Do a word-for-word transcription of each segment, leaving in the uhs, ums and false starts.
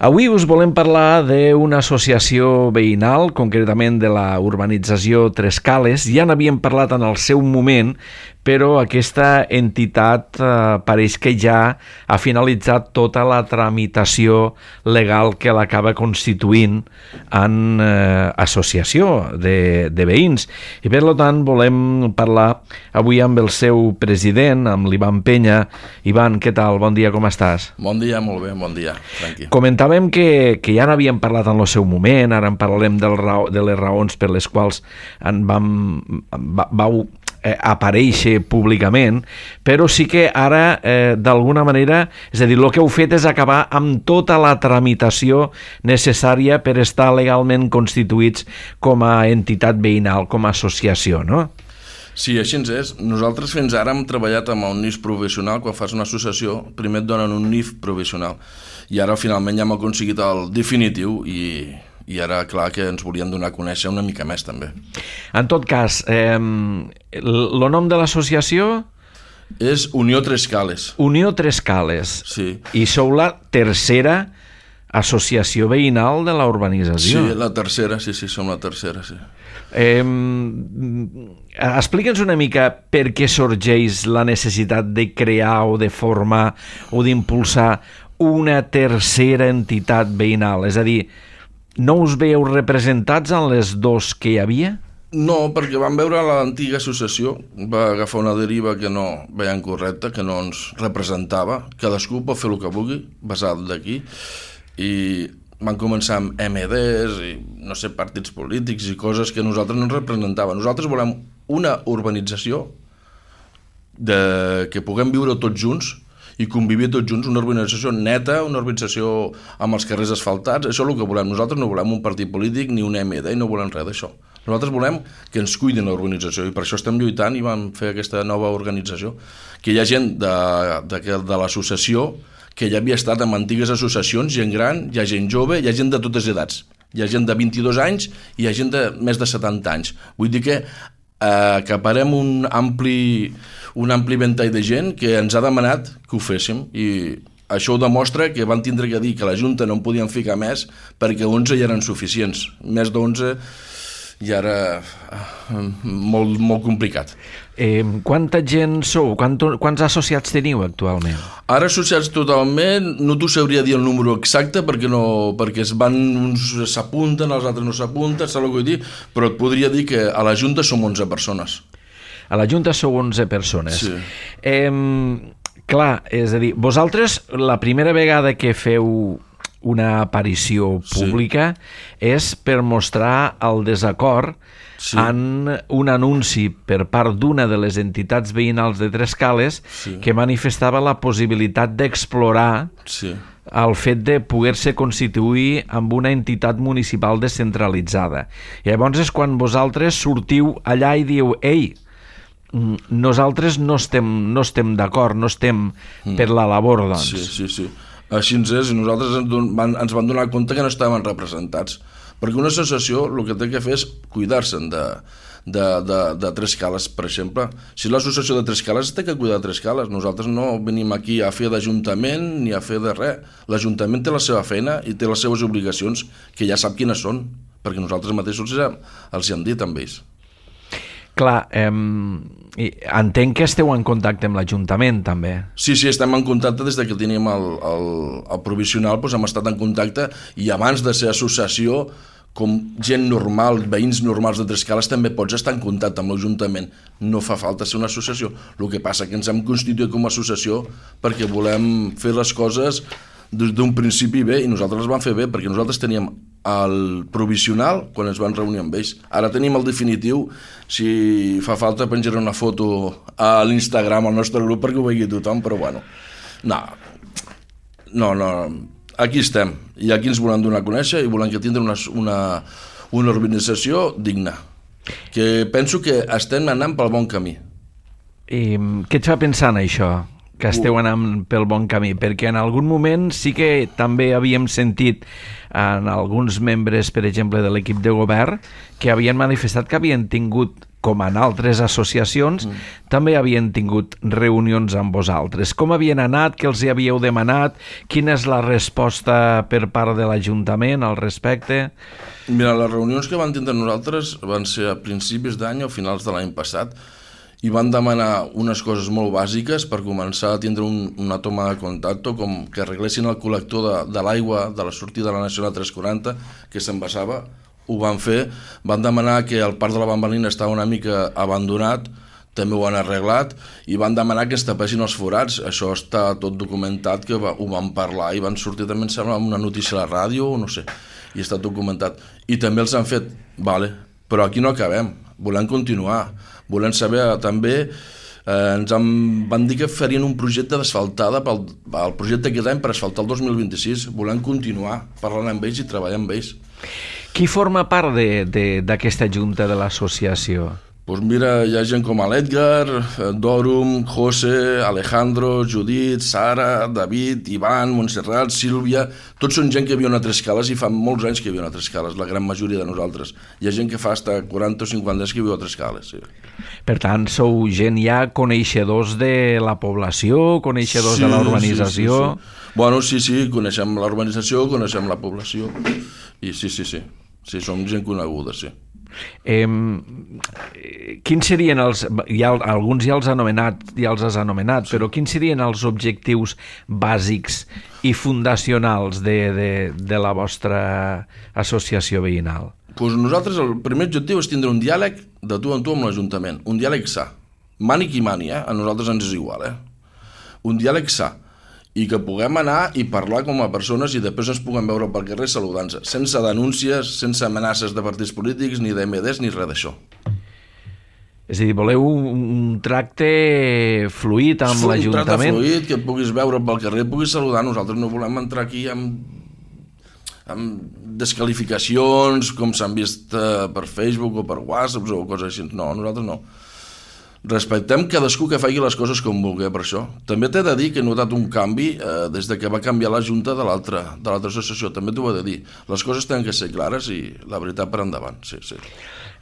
Avui us volem parlar d'una associació veïnal, concretament de la urbanització Tres Cales. Ja n'havíem parlat en el seu moment, però aquesta entitat eh, pareix que ja ha finalitzat tota la tramitació legal que l'acaba constituint en eh, associació de, de veïns. I per tant volem parlar avui amb el seu president, amb l'Ivan Penya. Ivan, què tal? Bon dia, com estàs? Bon dia, molt bé, bon dia, tranqui. Comentàvem que, que ja n'havíem parlat en el seu moment, ara en parlarem del raó, de les raons per les quals en vam, va, vau eh, aparèixer públicament, però sí que ara, eh, d'alguna manera, és a dir, el que heu fet és acabar amb tota la tramitació necessària per estar legalment constituïts com a entitat veïnal, com a associació, no? Sí, així és. Nosaltres fins ara hem treballat amb un N I F provisional. Quan fas una associació, primer et donen un N I F provisional. I ara, finalment, ja hem aconseguit el definitiu i, i ara, clar, que ens volien donar a conèixer una mica més, també. En tot cas, eh, el nom de l'associació? És Unió Tres Cales. Unió Tres Cales. Sí. I sou la tercera associació veïnal de la urbanització. Sí, la tercera, sí, sí, som la tercera, sí. Eh, Explica'ns una mica per què sorgeix la necessitat de crear o de formar o d'impulsar una tercera entitat veïnal. És a dir, no us veieu representats en les dos que hi havia? No, perquè vam veure l'antiga associació, va agafar una deriva que no veiem correcta, que no ens representava. Cadascú pot fer el que vulgui, basat d'aquí, i van començar amb eme des i, no sé, partits polítics i coses que nosaltres no ens representaven. Nosaltres volem una urbanització de, que puguem viure tots junts i convivir tots junts, una urbanització neta, una urbanització amb els carrers asfaltats. Això és el que volem. Nosaltres no volem un partit polític ni un eme de i no volem res d'això. Nosaltres volem que ens cuidin la urbanització i per això estem lluitant i vam fer aquesta nova organització. Que hi ha gent de, de, de l'associació que ja havia estat en antigues associacions, gent gran, hi ha gent jove, hi ha gent de totes edats. Hi ha gent de vint-i-dos anys i hi ha gent de més de setanta anys. Vull dir que eh, acaparem un ampli, un ampli ventall de gent que ens ha demanat que ho féssim i això ho demostra que van tindre que dir que la Junta no en podien ficar més perquè onze ja eren suficients. Més d'onze i ara molt, molt complicat. Eh, quanta gent sou? Quant, quants associats teniu actualment? Ara associats totalment, no t'ho sabria dir el número exacte perquè, no, perquè es van, uns s'apunten, els altres no s'apunten, saps el que vull dir? Però et podria dir que a la Junta som onze persones. A la Junta sou onze persones. Sí. Eh, clar, és a dir, vosaltres la primera vegada que feu una aparició pública sí. és per mostrar el desacord sí. en un anunci per part d'una de les entitats veïnals de Tres Cales sí. que manifestava la possibilitat d'explorar sí. el fet de poder-se constituir amb una entitat municipal descentralitzada. I llavors és quan vosaltres sortiu allà i diu «Ei, nosaltres no estem, no estem d'acord, no estem mm. per la labor, doncs». Sí, sí, sí. Així ens és, i nosaltres ens, don, van, ens van donar compte que no estaven representats. Perquè una associació el que té que fer és cuidar-se'n de, de, de, de Tres Cales, per exemple. Si l'associació de Tres Cales té que cuidar de Tres Cales, nosaltres no venim aquí a fer d'ajuntament ni a fer de res. L'Ajuntament té la seva feina i té les seves obligacions, que ja sap quines són, perquè nosaltres mateixos els hi hem dit amb ells. Clar, eh, entenc que esteu en contacte amb l'Ajuntament, també. Sí, sí, estem en contacte des que teníem el, el, el provisional, doncs hem estat en contacte i abans de ser associació, com gent normal, veïns normals de Tres Cales, també pots estar en contacte amb l'Ajuntament. No fa falta ser una associació. El que passa que ens hem constituït com a associació perquè volem fer les coses des d'un principi bé i nosaltres les vam fer bé perquè nosaltres teníem el provisional quan ens van reunir amb ells. Ara tenim el definitiu, si fa falta penjaré una foto a l'Instagram, al nostre grup, perquè ho vegi tothom, però bueno, no, no, no, aquí estem, i aquí ens volem donar a conèixer i volem que tindre una, una, una organització digna, que penso que estem anant pel bon camí. I què et fa pensar en això? que esteu anant pel bon camí, perquè en algun moment sí que també havíem sentit en alguns membres, per exemple, de l'equip de govern, que havien manifestat que havien tingut, com en altres associacions, mm. també havien tingut reunions amb vosaltres. Com havien anat? Què els hi havíeu demanat? Quina és la resposta per part de l'Ajuntament al respecte? Mira, les reunions que van tindre nosaltres van ser a principis d'any o finals de l'any passat, i van demanar unes coses molt bàsiques per començar a tindre un, una toma de contacte, com que arreglessin el col·lector de, de l'aigua de la sortida de la Nacional tres quaranta, que s'envasava. Ho van fer. Van demanar que el parc de la Bambalina estava una mica abandonat, també ho han arreglat, i van demanar que es tapessin els forats. Això està tot documentat, que va, ho van parlar i van sortir també, em sembla, una notícia a la ràdio, o no sé, i està documentat. I també els han fet, vale, però aquí no acabem, volem continuar. Volem saber també, eh, ens han, van dir que farien un projecte d'asfaltada pel el projecte aquest any per asfaltar el dos mil vint-i-sis. Volem continuar parlant amb ells i treballar amb ells. Qui forma part d'aquesta junta de l'associació? Pues mira, hi ha gent com l'Edgar, Dòrum, José, Alejandro, Judit, Sara, David, Ivan, Montserrat, Sílvia. Tots són gent que viuen a Trescales i fa molts anys que viuen a Trescales, la gran majoria de nosaltres. Hi ha gent que fa fins quaranta o cinquanta anys que viu a Trescales. Sí. Per tant, sou gent ja coneixedors de la població, coneixedors sí, de la urbanització? Sí, sí, sí. Bueno, sí, sí, coneixem la urbanització, coneixem la població. I sí, sí, sí. Sí, som gent coneguda, sí. Eh, quins serien els, ja, alguns ja els, anomenat, ja els has anomenat, sí. Però quins serien els objectius bàsics i fundacionals de, de, de la vostra associació veïnal? Pues nosaltres el primer objectiu és tindre un diàleg de tu en tu amb l'Ajuntament, un diàleg sa, mani qui mani, eh? A nosaltres ens és igual, eh? Un diàleg sa, i que puguem anar i parlar com a persones i després ens puguem veure pel carrer saludant-se, sense denúncies, sense amenaces de partits polítics, ni d'M Ds, ni res d'això. És a dir, voleu un tracte fluid amb l'Ajuntament? Un tracte fluid, que et puguis veure pel carrer, et puguis saludar. Nosaltres no volem entrar aquí amb, amb desqualificacions, com s'han vist per Facebook o per WhatsApp o coses així. No, nosaltres no. Respectem cadascú que faci les coses com vulgui, per això. També t'he de dir que he notat un canvi eh, des de que va canviar la junta de l'altra de l'altra associació. També t'ho he de dir. Les coses tenen que ser clares i la veritat per endavant. Sí, sí.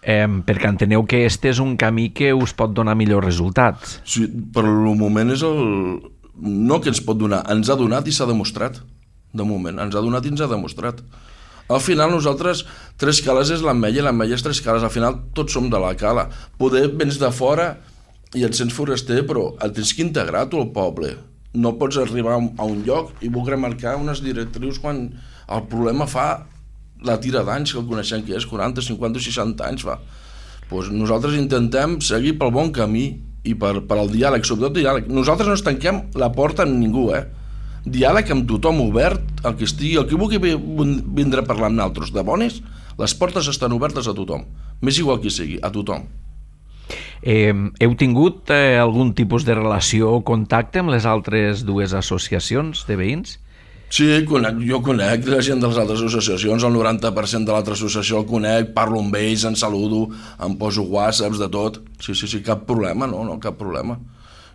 Eh, perquè enteneu que este és un camí que us pot donar millors resultats. Sí, per el moment és el... No que ens pot donar, ens ha donat i s'ha demostrat. De moment, ens ha donat i ens ha demostrat. Al final nosaltres, Trescales és l'Ametlla i l'Ametlla és Trescales. Al final tots som de la Cala. Poder vens de fora i et sents foraster, però et tens que integrar tu al poble. No pots arribar a un lloc i voler marcar unes directrius quan el problema fa la tira d'anys, que el coneixem que és quaranta, cinquanta, seixanta anys fa. Pues nosaltres intentem seguir pel bon camí i per, per al diàleg, sobretot diàleg. Nosaltres no ens tanquem la porta amb ningú, eh? Diàleg amb tothom obert, el que estigui, el que vulgui vindre a parlar amb nosaltres de bones, les portes estan obertes a tothom, més igual qui sigui, a tothom. Eh, heu tingut eh, algun tipus de relació o contacte amb les altres dues associacions de veïns? Sí, conec, jo conec la gent de les altres associacions, el noranta per cent de l'altra associació el conec, parlo amb ells, en saludo, em poso whatsapps, de tot. Sí, sí, sí, cap problema, no, no, cap problema.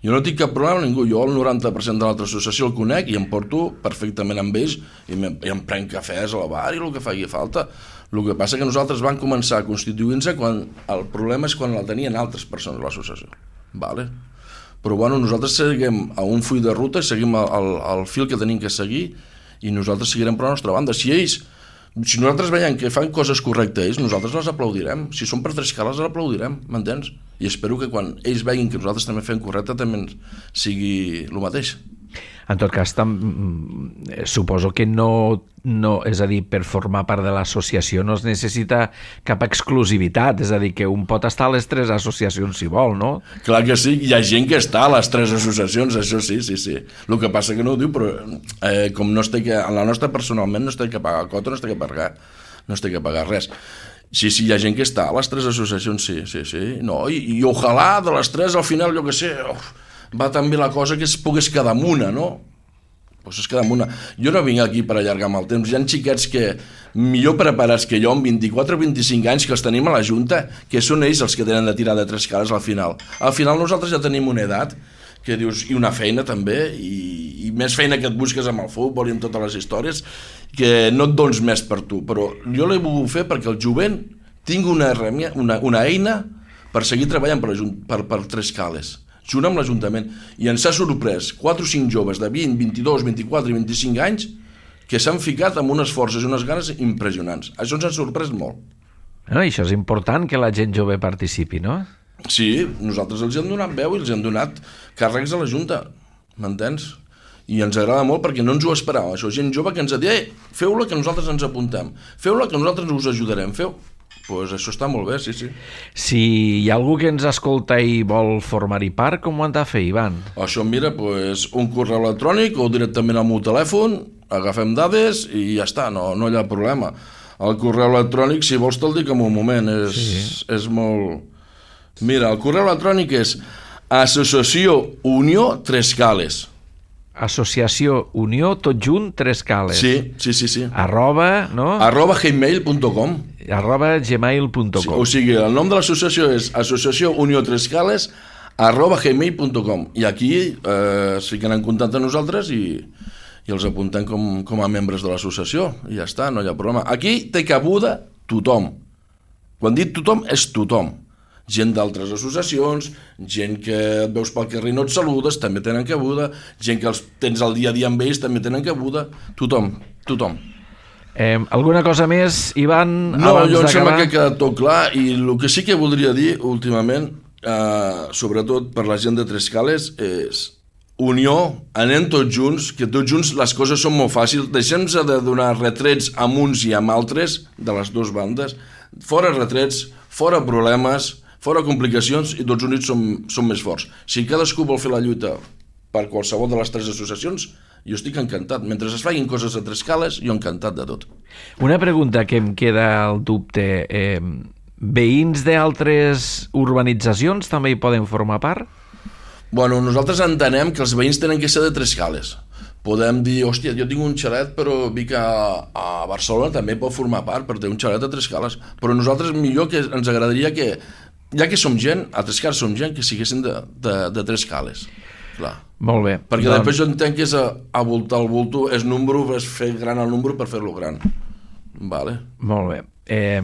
Jo no tinc cap problema amb ningú, jo el noranta per cent de l'altra associació el conec i em porto perfectament amb ells i, me, i em prenc cafès a la bar i el que faci falta. El que passa que nosaltres vam començar a constituir-nos quan el problema és quan la tenien altres persones a l'associació. Vale. Però bueno, nosaltres seguim a un full de ruta, seguim el, el, el fil que tenim que seguir i nosaltres seguirem per la nostra banda. Si ells, si nosaltres veiem que fan coses correctes, nosaltres les aplaudirem. Si són per Trescales, les aplaudirem, m'entens? I espero que quan ells veguin que nosaltres també fem correcte també sigui el mateix. En tot cas, tam, suposo que no, no, és a dir, per formar part de l'associació no es necessita cap exclusivitat, és a dir, que un pot estar a les tres associacions si vol, no? Clar que sí, hi ha gent que està a les tres associacions, això sí, sí, sí. El que passa que no ho diu, però eh, com no es té que, en la nostra personalment no es té que pagar cota, no es té que pagar, no es té que pagar res. Sí, sí, hi ha gent que està a les tres associacions, sí, sí, sí. No, i, i ojalà de les tres al final, jo que sé, uf, va també la cosa que es pogués quedar amb una, no? Pues es queda amb una. Jo no vinc aquí per allargar amb el temps. Hi ha xiquets que millor preparats que jo, amb vint-i-quatre o vint-i-cinc anys, que els tenim a la Junta, que són ells els que tenen de tirar de Trescales al final. Al final nosaltres ja tenim una edat que dius, i una feina també, i, i més feina que et busques amb el futbol i amb totes les històries, que no et dones més per tu, però jo l'he volgut fer perquè el jovent tingui una, una, una eina per seguir treballant per, per, per Trescales, junt amb l'Ajuntament, i ens ha sorprès quatre o cinc joves de vint, vint-i-dos, vint-i-quatre i vint-i-cinc anys que s'han ficat amb unes forces i unes ganes impressionants. Això ens ha sorprès molt. No, això és important, que la gent jove participi, no? Sí, nosaltres els hem donat veu i els hem donat càrrecs a la Junta, m'entens? I ens agrada molt perquè no ens ho esperàvem. Això, gent jove que ens ha dit, eh, feu-la que nosaltres ens apuntem, feu-la que nosaltres us ajudarem, feu. Doncs pues això està molt bé, sí, sí. Si hi ha algú que ens escolta i vol formar-hi part, com ho han de fer, Ivan? Això, mira, pues, un correu electrònic o directament al meu telèfon, agafem dades i ja està, no, no hi ha problema. El correu electrònic, si vols te'l dic en un moment, és, sí. és molt... Mira, el correu electrònic és Associació Unió Trescales. Associació Unió, tot junt, Trescales. Sí, sí, sí, sí. Arroba, no? Arroba gmail punt com. Arroba gmail punt com. Sí, o sigui, el nom de l'associació és Associació Unió Trescales arroba gmail punt com. I aquí eh, es fiquen en contacte amb nosaltres i, i els apuntem com, com a membres de l'associació. I ja està, no hi ha problema. Aquí té cabuda tothom. Quan dit tothom, és tothom. Gent d'altres associacions, gent que et veus pel carrer i no et saludes, també tenen cabuda, gent que els tens al dia a dia amb ells, també tenen cabuda, tothom, tothom. Eh, alguna cosa més, Ivan? No, jo em sembla que ha quedat tot clar, i el que sí que voldria dir últimament, eh, sobretot per la gent de Trescales, és unió, anem tots junts, que tots junts les coses són molt fàcils, deixem-se de donar retrets amb uns i amb altres, de les dues bandes, fora retrets, fora problemes, fora complicacions, i tots units som, som més forts. Si cadascú vol fer la lluita per qualsevol de les tres associacions, jo estic encantat. Mentre es facin coses a Trescales, jo encantat de tot. Una pregunta que em queda al dubte. Eh, veïns d'altres urbanitzacions també hi poden formar part? Bueno, nosaltres entenem que els veïns tenen que ser de Trescales. Podem dir, hòstia, jo tinc un xalet, però Vic a, a Barcelona també pot formar part, per tenir un xalet a Trescales. Però nosaltres millor que ens agradaria que, ja que som gent, a Trescales som gent, que siguessin de, de, de Trescales. Clar. Molt bé. Perquè doncs... després jo entenc que és a, a voltar el bulto, és número, és fer gran el número per fer-lo gran. Vale. Molt bé. Eh,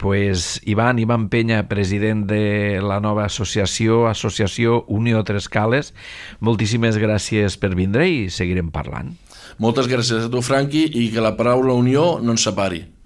pues Ivan, Ivan Penya, president de la nova associació, Associació Unió Trescales, moltíssimes gràcies per vindre i seguirem parlant. Moltes gràcies a tu, Franqui, i que la paraula unió no ens separi.